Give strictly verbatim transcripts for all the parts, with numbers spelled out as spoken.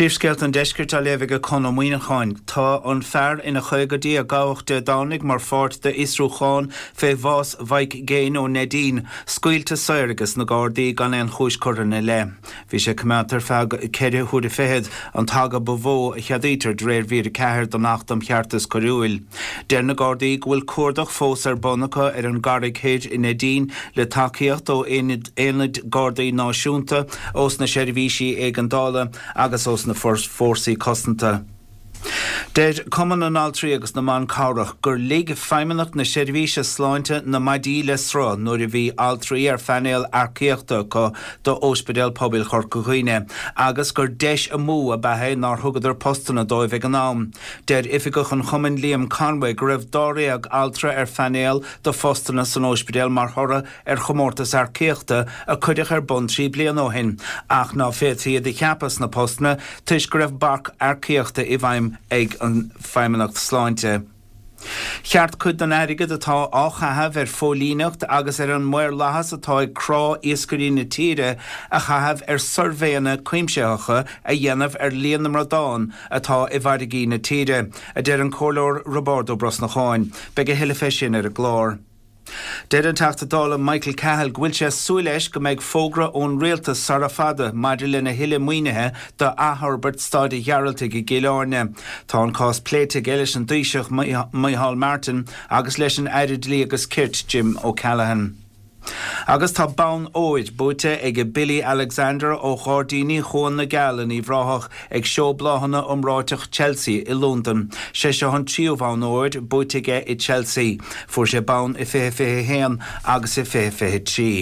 Príomhscéalta an Deiscirt á léamh ag Conn Ó Muíneacháin. Tá an fear ina chaogaidí a gabhadh Dé Domhnaigh mar pháirt d'fhiosrúchán fé bhás Mhike Gaine ó Neidín, scaoilte saor ages na Gardaí gan aon chúis curtha ina leith. Bhí sé coimeádta ar feadh ceithre huaire fichead an t-aga ba mhó a cheadaítear de réir mhír a ceathair den Acht um Cheartas Coiriúil. Deir na Gardaí go bhfuil cuardach fós ar bun acu ar an gCarraig Thoir i Neidín le tacaíocht ó aonaid Gardaí Náisiúnta, ós na seirbhísí éigeandála agus ós na fórsaí cosanta. Deir Cumann na nAltraí agus na mBan Cabhrach gur lig Feidhmeannacht na Seirbhíse Sláinte na maidí le sruth nuair a bhí altraí ar phainéal earcaíochta acu d'Ospidéal Pobail Chorca Dhuibhne agus gur deis amú ab ea é nár thugadar postanna dóibh ag an am. Deir oifigeach an chumainn Liam Conway go raibh dáréag altra ar phainéal do phostanna san ospidéal mar thoradh ar chomórtas earcaíochta a cuireadh ar bun trí bliana ó shin ach ná féadfaí iad a cheapadh sna postanna toisc go raibh bac earcaíochta i bhfeidhm ag an Feidhmeannacht Sláinte. Cheart cuid den airgead atá á chaitheamh ar phóilíneacht agus ar an maorlathas atá ag crá iascairí na tíre a chaitheamh ar suirbhéanna cuimsitheacha a dhéanamh ar líon na mbradán atá i bhfarraigí na tíre, a deir an Comhairleoir Roibeárd Ó Brosnacháin. Beidh a thuilleadh fé sin ar an gclár. Deir an Teachta Dála Michael Cahill go bhfuil sé ag súil leis go mbeidh fógra ón rialtas sara fada maidir lena thuilleadh maoinithe d'athfhorbairt Staid an Ghearaltaigh i gCill Airne. Tá an cás pléite aige leis an Taoiseach Micheál Martin agus leis an Aire Dlí agus Cirt Jim O'Callaghan. Agus tá bonn óir buaite ag Billy Alexander ó Ghairdíní Chuan na gCeall in Uíbh Ráthach ag Seó Bláthanna iomráiteach Chelsea i Londain. Sé seo an tríú bonn óir buaite aige i Chelsea. Fuair sé bonn i fiche fiche a haon agus i fiche fiche trí.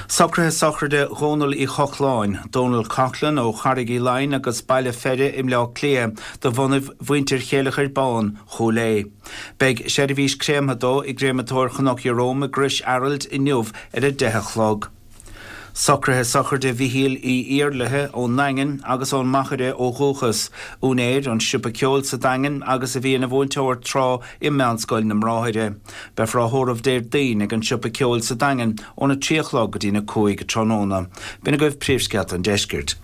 Socruithe sochraide Dhónaill Uí Chochláin, Donal Coughlan ó Charraig Uí Leighin agus Baile Pheire i mBleá Cliath de bhunaibh mhuintir Chéileachair Bán, Chúil Aodha. Beidh seirbhís créamtha dó i gCréamatóir Chnoc Ieróm i gCrois Araild inniu ar a deich a chlog. Socruithe sochraide Mhichíl Uí Iarlaithe ón nDaingean agus ón Machaire ó dhúchas, úinéir an siopa ceoil sa Daingean agus a bhí ina mhúinteoir tráth i Meánscoil na mBráithre. Beifear á thórramh Déardaoin ag an siopa ceoil sa Daingean óna trí a chlog go dtína cúig tráthnóna. B'in agaibh príomhscéalta an deiscirt.